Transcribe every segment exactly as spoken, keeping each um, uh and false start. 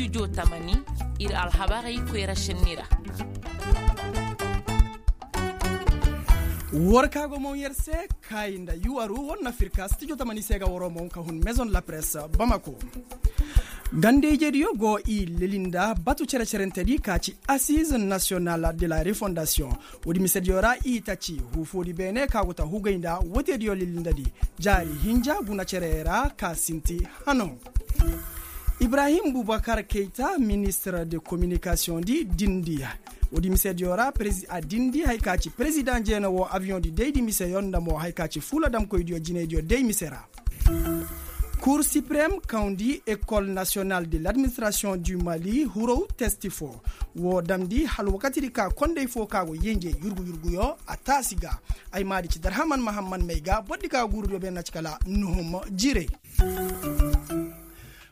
Tamani ir alhabarey koyra šenni ra. War ka go moŋ yer se, kaayi nda yuwaru war na fir ka stijo tamani se ga waroo moŋ ka hun maison de la presse bamako. Ganda-ijediyo go i leli nda batu cere-cerentedi ka ci assize national de la refondasiyoŋ. Woodi misediyo ra i ta ci huufoodi beene ka go ta hugay nda woteediyo lilindadi jaari hinja guna cerey ra ka sinti hano. Ibrahim bubakar keyta ministir de kominikasiyoŋdi dindi. Woodi misediyo ra a dindi haya ka ci perezidaŋ jeena wo abiyoŋdi daydi miseyo nda mo haya ka ci fuula damkoydiyo jinaydiyo day mise ra. Kur sipirem kawndi ekol nasiyonal de ladministirasiyoŋ du mali hurow testi foo. Woo damndi hala wakatidi ka konday foo ka go yenje yurgu-yurguyo a taasi ga. Ay maadi ci darhaman mahamman may ga bordi ka guurudiyo beene na ci kala nuhum jiray.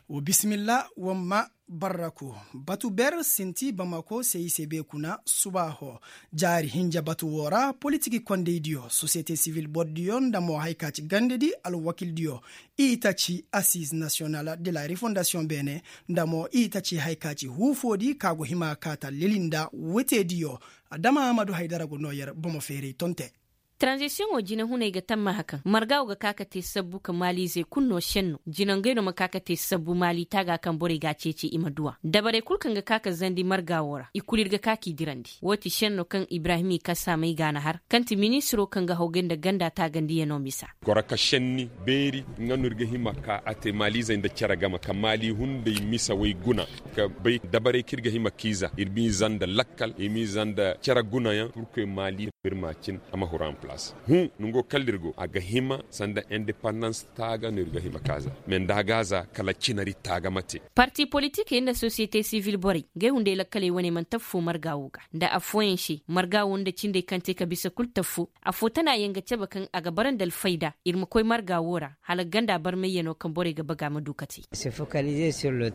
Woo bisimilla woo ma barraku. Batu ber sinti bamako se i se bee kuna subaaho. Jaari hinja batu woo ra politik kondaydiyo sosiyete sivil bordiyo nda mo haya ka ci gandadi alwakildiyo. I ta ci assize nasiyonal de la refondasiyoŋ beene nda mo i ta ci haya ka ci huufoodi ka go hima ka ta leli nda woteediyo. Adama ahmadu haydara go noo yer bomo feeray tonte. Taranzisiyoŋo jinehuney ga tammaha kaŋ marga wo ga ka ka te sabbu ka maaliizey kulu no senno jinangey no ma ka ka te sabbu maali taaga kaŋ borey ga a ceeci i ma duw'a dabarey kulu kaŋ ga ka ka zandi marga wo ra i kulu ir ga ka k'i dirandi woo ti senno kaŋ ibrahim i kasaamey ga a na har kaŋ ti ministiro kaŋ ga hawgay nda ganda taagandiyano misa. Goro ka senni beeri nga no ir ga hima ka a te maaliizey nda cere game ka maali hunday misawey guna ka bay dabarey kaŋ ir ga hima k'i za ir m'i za nda lakkal i m'i za nda cere gunayaŋ purkoy maali ir ma cin a ma huru en palaas. Huu nongo kala ir go a ga hima sanda indepandans taaga no ir ga hima k'a za. Mais nda a g'a za kala cinari taaga ma te. Parti politikey nda sosiyete sivil borey ngey hunday lakkaley wane mana taffoo marga woo ga nda affooyaŋ se marga woo nda cindey kaŋ te ka bisa kul taffoo. Affoo tana yaŋ ga cabe kaŋ a ga bara nda alfayda ir ma koy marga woo ra hala ganda barmayyano kaŋ borey ga baga ma du ka te.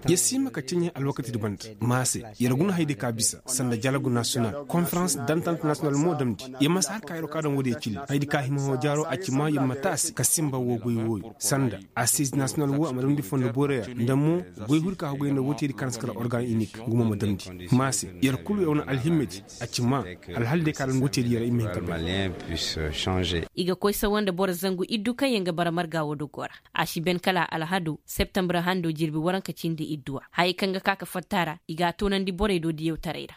Yer si hima ka ceɲe alwakatidi banda ma se. Yer guna haydi ka bisa sanda jalagu nasiyonal konferans dantant nasiyonal mo damndi. Yer ma si har ka yer wo ka daŋ woodiyo cili haydi ka hima hõ jaaro a ci ma yer ma taasi ka sinba woo goy wooyo sanda asiiz nasiyonal woo a ma damndi fondo boorey ra nda mo goy huri ka hogay nda wooteydi kaŋ ra si kala organ inik nga mo ma damndi. Ma se yer kulu yer wane alhimmedi a ci ma alhal day ka daŋ wooteydi yer i ma hin ka bay. I ga koy sawa nda boro zangu iddu kaŋ yer ga bara marga woo dogo ra. A si ben kala alhado septembre hando jirbi waranka cindi idduwa hayey kaŋ ga ka ka fatta ra i g'a toonandi borey do diyawtaray ra.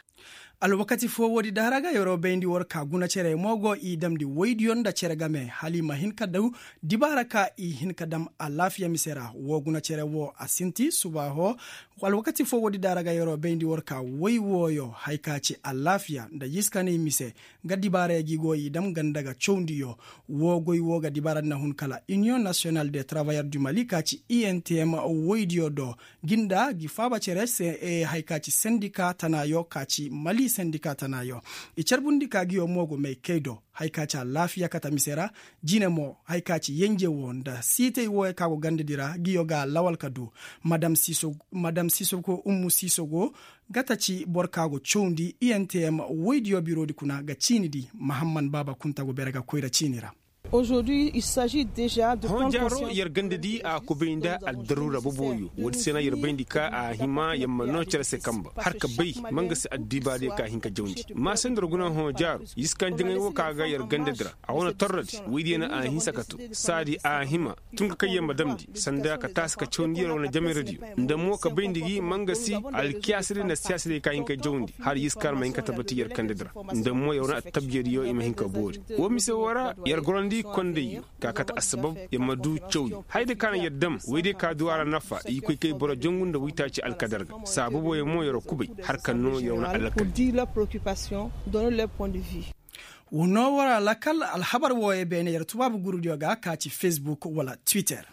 Alwakati foo woodi daara ga yeroo bayndi war ka guna cere mo go i damndi woydiyo nda cere game hala i ma hin ka daw dibaara ka i hin ka dam alaafiya mise ra woo guna cere woo a sinti subaaho. Alwakati foo woodi daara ga yeroo bayndi war ka woy wooyo haya ka ci alaafiya nda yiskanay mise. Nga dibaaraya gi go i dam ganda ga cawndiyo. Woo goy woo ga dibaara nda hun kala iniyoŋ nasiyonal de taravayer du mali ka ci i n t m woydiyo do. Gi nda gi faaba cere se haya ka ci sendika tanaayo ka ci mali sendika tanaayo. I carbundi ka giyo mo go may kay do haya ka ci alaafiya kate mise ra. Jine mo haya ka ci yenje woo nda siitay wooyo ka go gandadi ra giyo ga lawal ka du. Madam sisogo ummu sisogo gata ci boro ka go cawndi i n t m woydiyo biroodi kuna ga ciinidi mahamman baaba kunta go bere ga koyra ciini ra. Hõ jaaro yer gandadi a kubay nda aldaruura boboyo woodi se na yer bayndi ka a hima yer ma noo cere se kamba har ka bay ma nga se addibaadiyo ka hin ka jawndi. Ma se nda yer guna hõ jaaro yiskan jaŋay woo ka ga yer gandadi ra a wane torrodi woydiyo na a hinsa ka too saadi a hima tun ka kay yer ma damndi sanda ka taasi ka cawndi yer wane jameradiyo nda mo ka bayndi gi ma nga se alkiyaasadiyo nda siyaasadiyo ka hin ka jawndi hala yiskan ma hin ka tabati yer kandadi ra. Nda mo yer wane attabjediyo i ma hin ka boori woo mise woo ra yer gorandi kondayyo ka kate assabab yer ma du cawyo haya day ka na yer dam woydiyo ka du a ra nafa i koy kay boro jangu nda woytaaci alkadar ga saa boboyo mo yer kubay har ka noo yer wane alakal. Woo noo war alakal alhabar wooyo beene yer tubaabu gurudiyo ga ka ci facebook wala twitter.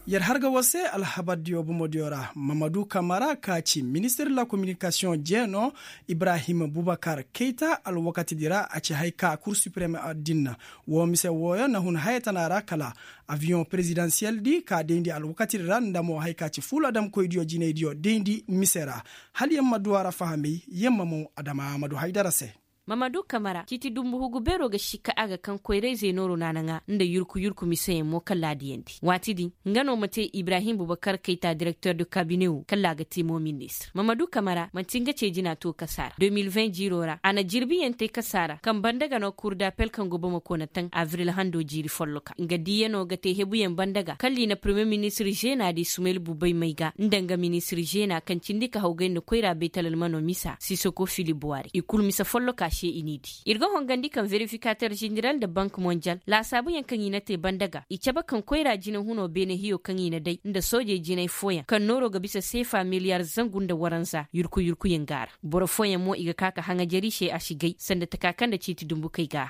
Yer har ga war se alhabardiyo bomodiyo ra mamadu kamara ka ci ministir la kominikasiyoŋ jeeno ibrahim bubakar keyta alwakatidi ra a ci haya ka kur supirem din. Woo mise wooyo na hun haya tana ra kala aviyoŋ perezidansiyeldi ka dayndi alwakatidi ra nda mo haya ka ci fuula damkoydiyo jinaydiyo dayndi mise ra. Hala yer ma du a ra fahamay yer ma moŋ adama amadu haydara se. Mamadu kamara ciiti dumbu hugu beero ga sikka a ga kaŋ koyra-izey nooro naanaŋa nda yurku yurku miseyaŋ mo kaŋ laadiyandi waati din. Nga no ma te ibrahim bubakar kayta direkter de kabine wo kaŋ laa ga te mo ministir mamadu kamara manti nga ce jina to kasaara de mil vingt jiiro ra a na jirbiyaŋ te kasaara kaŋ banda ga no kurdapel kaŋ go bamako na taŋ avril hando jiiri folloka nga diiyano ga te hebuyaŋ banda ga kalli na premier ministir žena di sumayil bubay may ga nda nga ministir žena kaŋ cindi ka hawgay nda koyra baytal almano misa sisoko fili buwari i kulu mise folloka se i n'i di. Ir ga hongandi kaŋ verifikater ženeral nda bank mondial laasaabuyaŋ kaŋ i na te banda ga i cabe kaŋ koyra jinahuno beene hiyo kaŋ i na day nda soojey jinay fooyaŋ kaŋ nooro ga bisa seefa miliyar zangu nda waranza yurku yurkuyaŋ ga a ra. Boro fooyaŋ mo i ga ka ka haŋajari se a si gay sanda taka kaŋ nda ciiti dumbukey ga a.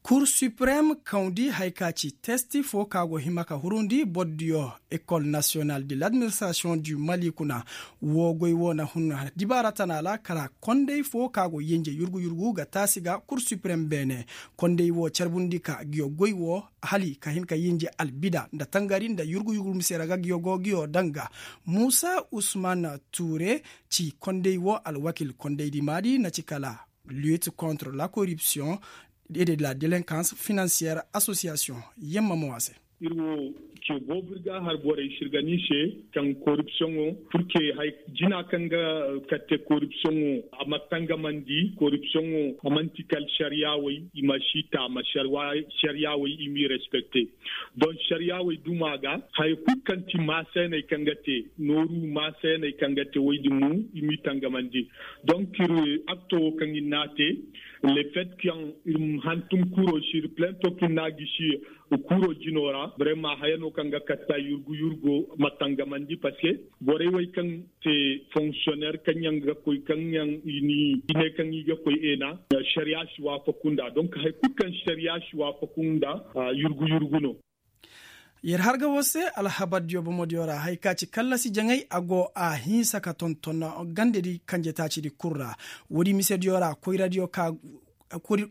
Kur siprem kawndi haya ka ci testi fo ka go hima ka hurundi bordiyo ekol nasiyonal de ladministrasiyoŋ du mali kuna. Wo goy wo na hun dibaara tana ra kala konday fo ka go yenje yurgu yurgu ga taasi ga kur siprem beene. Konday wo carbundi ka giyo goy wo hali ka hin ka yenje albida nda tangari nda yurgu yurgu mise ra ga giyo go giyo danga. Muusa usman tuure ci konday wo alwakil kondaydi maadi na ci kala lutte contre la corruption et de la délinquance financière association. Yamma mo a se. Ir wo ce boobo ir ga a har borey sirgani se kaŋ koripsiyoŋo purke hay jina kaŋ ga katte koripsiyoŋo a ma tangamandi koripsiyoŋo a man'ti kala sariya way i ma si taama sariya way i m'i respekte. Donk sariya way duma ga haya kulu kaŋ ti maaseeney kaŋ ga te nooru maaseeney kaŋ ga te woy din mo i m'i tangamandi. Donk ir akto wo kaŋ ir n'a te le fet kaŋ ir hantum kuro si ir plento kaŋ ir n'a gisi kuro jino ra brema haya no kaŋ ga katta yurgu yurgo ma tangamandi paske borey wey kaŋ te fonksiyoner kaŋ yaŋ ga koy kaŋ yaŋ i ne kaŋ i ga koy eena. Sariya si waafaku nda donk hari kulu kaŋ sariya si waafaku nda yurgu yurgu no. Yer harga wo se alhabardiyo bomodiyo ra hari ka ci kallasi jaŋay a go a hinsa ka tonton gandedi kanje taacidi kul ra. Woodi misediyo ra koyradiyo ka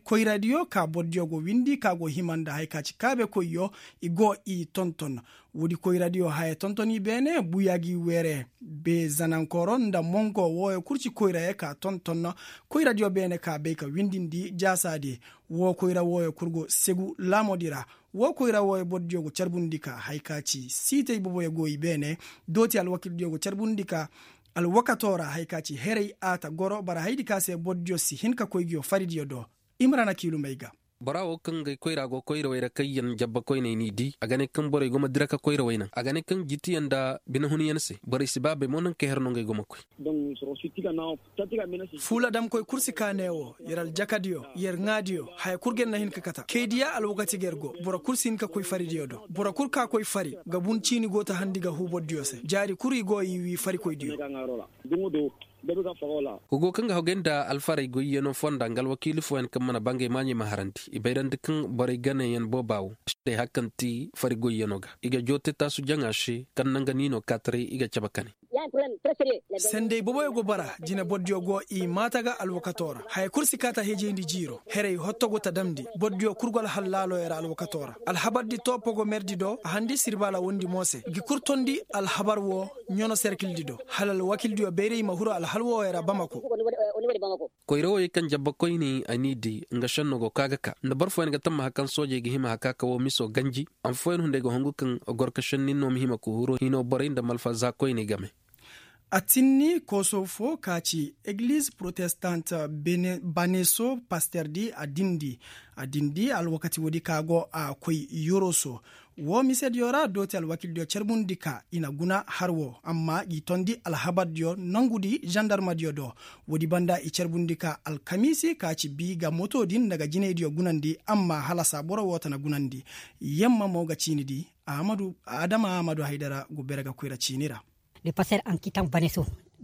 koyradiyo ka bordiyo go windi ka go hima nda hari ka ci kaabekoyyo i go i tonton. Woodi koyradiyo haya tonton i beene buya gi weere be zanankoro nda mongo wooyo kul ci koyrayo ka tonton. Koyradiyo beene ka bay ka windindi jaasaadi. Woo koyra wooyo kul go segu laamodi ra. Woo koyra wooyo bordiyo go carbundi ka hari ka ci siitey boboyo go i beene. Dooti alwakildiyo go carbundi ka alwakato ra hari ka ci heray a ta goro bara haydi ka se bordiyo si hin ka koy nguyo faridiyo do. Imrana kiilumey ga. Bora wo kaŋ ga ay koyra go koyrawey ra kaŋ yaŋ jabba koyney n'i di a ga ne kaŋ borey go ma dira ka koyrawey naŋ a ga ne kaŋ jitiyaŋ nda binehunyaŋ se borey si ba bay mo naŋ ka her no ngey go ma koy. Fuula damkoy kul si kaa ne wo yer aljakadiyo yer ŋaadiyo haya kul ga yer na hin ka kata kaydiya alwakati ga yer go boro kul si hin ka koy faridiyo do boro kul ka koy fari ga bun ciini go ta handi ga huu bordiyo se jaari kul i go i wii farikoydiyo. Hugo kaŋ ga hogay nda alfarey goyyaŋo fonda nga alwakiili fooyaŋ kaŋ mana bangay maaɲey ma harandi i bayrandi kaŋ borey ganeyaŋ booba wo. Day hari kaŋ ti fari goyyaŋo ga i ga joo te taasu jaŋa se kaŋ naŋ ga niino kaataray i ga cabe kane. Sendey booboyo go bara jine bordiyo go i maata ga alwakato ra haya kul si kaata hejeyndi jiiro heray hotto go ta damndi bordiyo kul go alhallaaloyo ra alwakato ra alhabardi toopo go merdi do a handi sirbaala wondi mo se gi kul tondi alhabar wo ɲono serkildi do hala alwakildiyo bayray ma huru alhal wooyo ra bamako. Koyra wooyo kaŋ jabba koyne a n'i di nga šenno go ka ga ka nda boro fooyaŋ ga tammaha kaŋ soojey ga hima haka ka woo miso ganji. Amma fooyaŋ hunday ga hongu kaŋ gorka šenni no ma hima ka huru hino borey nda malfa za koyney game. A tinni kooso fo ka ci egliz protestant baneso pasterdi a dindi a dindi alwakati woodi ka go a koy yoroso. Woo misediyo ra dooti alwakildiyo carbundi ka i na guna har woo amma g'i tondi alhabardiyo nongudi zandarmadiyo do. Woodi banda i carbundi ka alkamiisi ka ci bii ga moto din nda ga jinaydiyo gunandi amma halasa boro woo ta na gunandi. Yamma mo ga ciini di adama amadu haydara go bere ga koyra ciini ra.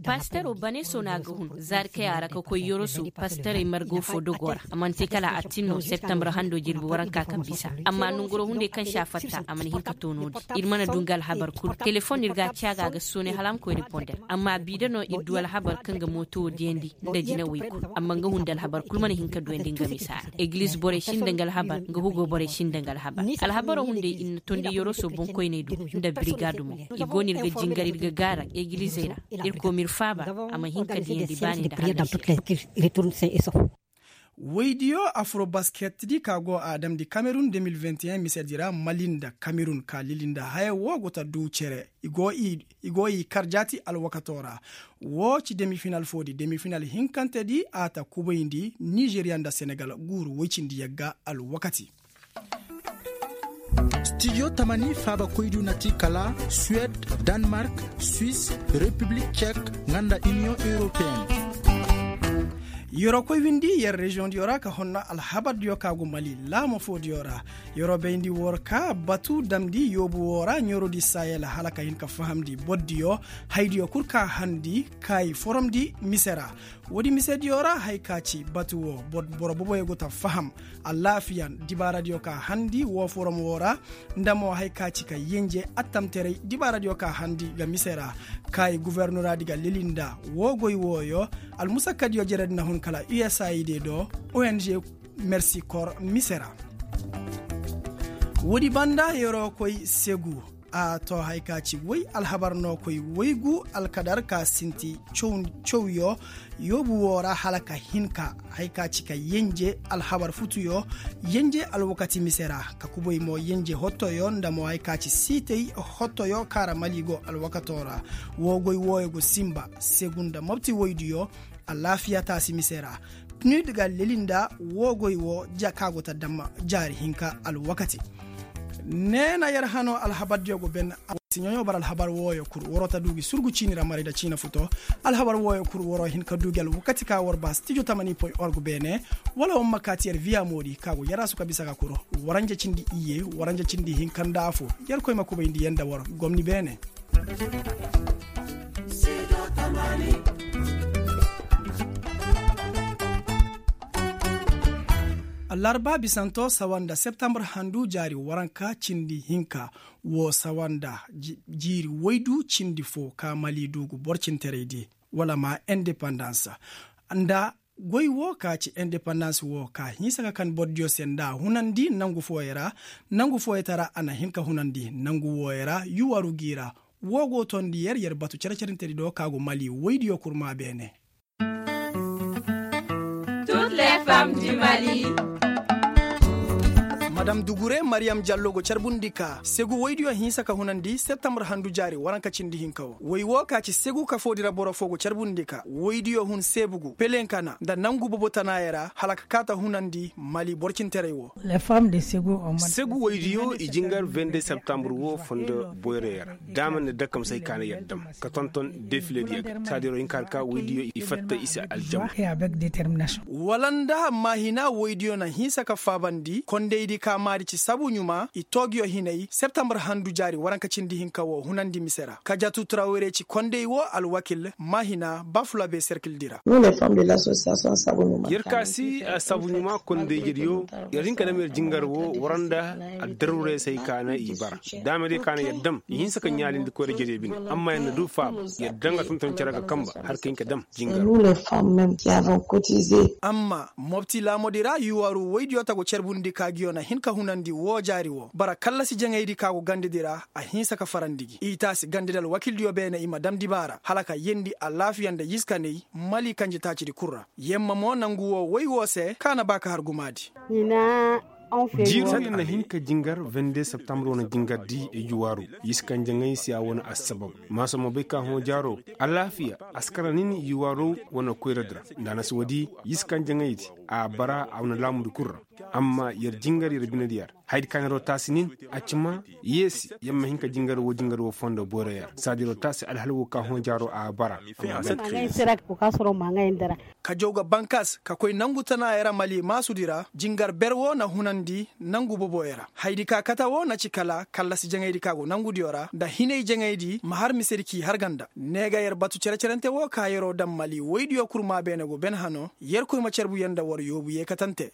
Pastero baneso no a ga hun zaari kay a ra ka koy yoroso pastarey margo fo dogo ra a mana te kala a tin no septembre hando jirbi waranka kaŋ bisa. Amma nongoro hunday kaŋ se a fatta a mana hin ka to no-din ir mana du nga alhabar kul telefon ir ga a caaga a ga soonay hala a ma koy riponder amma a bi da no ir du alhabar kaŋ ga mooto wo diyandi nda jinawey kul amma nga hunda alhabar kul mana hin ka duyandi nga misa ra. Egliz borey sinda nga alhabar nga hugo borey sinda nga alhabar. Alhabaro hunday ir na tondi yoroso boŋkoyney do nda birigaadu mo. I go no ir ga jingar ir ga gaara egilizey ra. Irkoy ma ir faaba a ma hin ka diyandi baani nda hallasi. Woydiyo afuro basket di ka go a damndi kamerun de mil vingt et un mise di ra mali nda kamerun ka lili nda haya wo go ta du cere. I go i kar jaati alwakato ra. Wo ci demi final fo di demi final hinkante di a ta kubayndi nizeriya nda senegal guuru woy cindi yagga alwakati. Stijo tamani faabakoydiyo na ti kala suwed, danmark, swis, repiblik cek, nga nda iniyoŋ europeen. Yeroo koy windi yer reziyoŋdiyo ra ka honna alhabardiyo ka go mali laamo foodiyo ra. Yeroo bayndi war ka batu damndi yoobu woo ra ɲeroodi sayel hala ka hin ka fahamndi bordiyo haydiyo kul ka harndi ka i foromndi mise ra. Woodi misediyo ra haya ka ci batu woo boro boboyo go ta faham. Alaafiya dibaaradiyo ka harndi woo forom woo ra nda mo haya ka ci ka yenje attamteray dibaaradiyo ka harndi ga mise ra. Ka i gofornoraadi ga leli nda woo goy wooyo. Almusakkadiyo jeredi na hun kala usaid do ong mersi kor mise ra. Woodi banda yeroo koy segu a to haya ka ci woy alhabar no koy woygu alkadar ka sinti cawyo yoobu woo ra hala ka hin ka haya ka ci ka yenje alhabar futuyo. Yenje alwakati mise ra ka kubay mo yenje hottoyo nda mo haya ka ci siitay hottoyo ka ra mali go alwakato ra. Woo goy wooyo go sinba segu nda mopti woydiyo. Alaafiya taasi mise ra pnud ga leli nda woo goy woo ka go ta dam jaari hinka alwakati. Ne na yer hanoo alhabardiyo go ben. Siɲoɲo bara alhabar wooyo kul waroo ta du gi surgu ciini ra maray nda ciina futo. Alhabar wooyo kul waroo hin ka du gi alwakati ka war ba stijo tamani point org beene wala war ma kaati yer viya moodi ka go yer asu ka bisa ga kul. Waranja cindi iyye waranja cindi hinka nda afo. Yer koy ma kubayndi yer nda war gomni beene. Allarba bisanto sawa nda septambur handu jaari waranka cindi hinka. Woo sawa nda jiiri woydu cindi foo ka mali du gu borcinteraydi wala ma indepandans nda goy woo ka ci indepandans woo ka hinsa ka kan bordiyo se nda a hunandi nangu fooyo ra. Nangu fooyotara a na hin ka hunandi nangu wooyo ra yuwaru g'i ra. Woo go toondi yer yer batu cere-cerentedi do ka go mali woydiyo kurma beene. Madam dugure mariyam jallo go carbundi ka segu woydiyo hinsa ka hunandi septambur handu jaari waranka cindi hinka wo woy woo ka ci segu kafoodi ra boro foo go carbundi ka woydiyo hun seebugu pelenkana nda nangu bobotanaayo ra hala ka kaa ta hunandi mali borcinteray wo. Segu woydiyo i jingar vende septambur wo fondo boyroyo ra. Daama nda dakkamsey ka na yer dam ka tonton defilediyo ga saadiro hinka har ka woydiyo i fatta i se aljama. Wala nda maahina woydiyo na hinsa ka faabandi kondaydi ka maadi ci sabu ɲuma i toogiyo hinay septambur handu jaari waranka cindi hinka wo hunandi mise ra ka jatu trawere ci konday wo alwakil maahina bafulabe serkildi ra. Yer ka si a sabu ɲuma kondayjediyo yer hin ka dam yer jingar wo war nda addaruuray se ay ka na i bara. Daamey day ka na yer dam i hinsa ka ɲaalindi koyra jediyo bine. Amma yer na du faaba yer danga tonton cere ga kanba har ka hin ka dam jingar. Amma mopti laamudi ra yuwaru woydiyo ta go carbundi ka ngiyo na hin ka hunandi woo jaari woo bara kallasi jaŋaydi ka go gandedi ra. A hinsa ka farandi gi i taasi gandedi alwakildiyo beene i ma dam dibaara hala ka yendi alaafiya nda yiskaney mali kanjetaacidi kul ra. Yemma mo nangu woo woy woo se ka na ba ka har gumaadi. Jiiri wo yer na hin ka jingar vende septambur wane jingar di iji waaru. Yiskanjaŋey si a wane assabab maasa mo bay ka hõ jaaro alaafiya askara nin iji waaro wane koyradi ra. Nda a na si woodi yiskanjaŋey di a bara a wane laamudi kul ra. Amma yer jingar yer binediya ra hayadi ka na yeroo taasi nin a ci ma yeesi yer ma hin ka jingar woo jingar woo fondo boyroyo ra saadi yeroo taasi alhal woo ka hõ jaaro a bara. Ka jaw ga bankas ka koy nangu tanaayo ra mali maasudi ra jingar ber woo na hunandi nangu boboyo ra hayadi ka kate woo na ci kala kallasi jaŋaydi ka go nangudiyo ra nda hinay jaŋaydi ma har misedi k'i har ganda ne ga yer batu cere-cerente woo ka yeroo dam mali woydiyo kurmaa beene go ben hano. Yer koy ma carbu yer nda war yoobu yeekatante.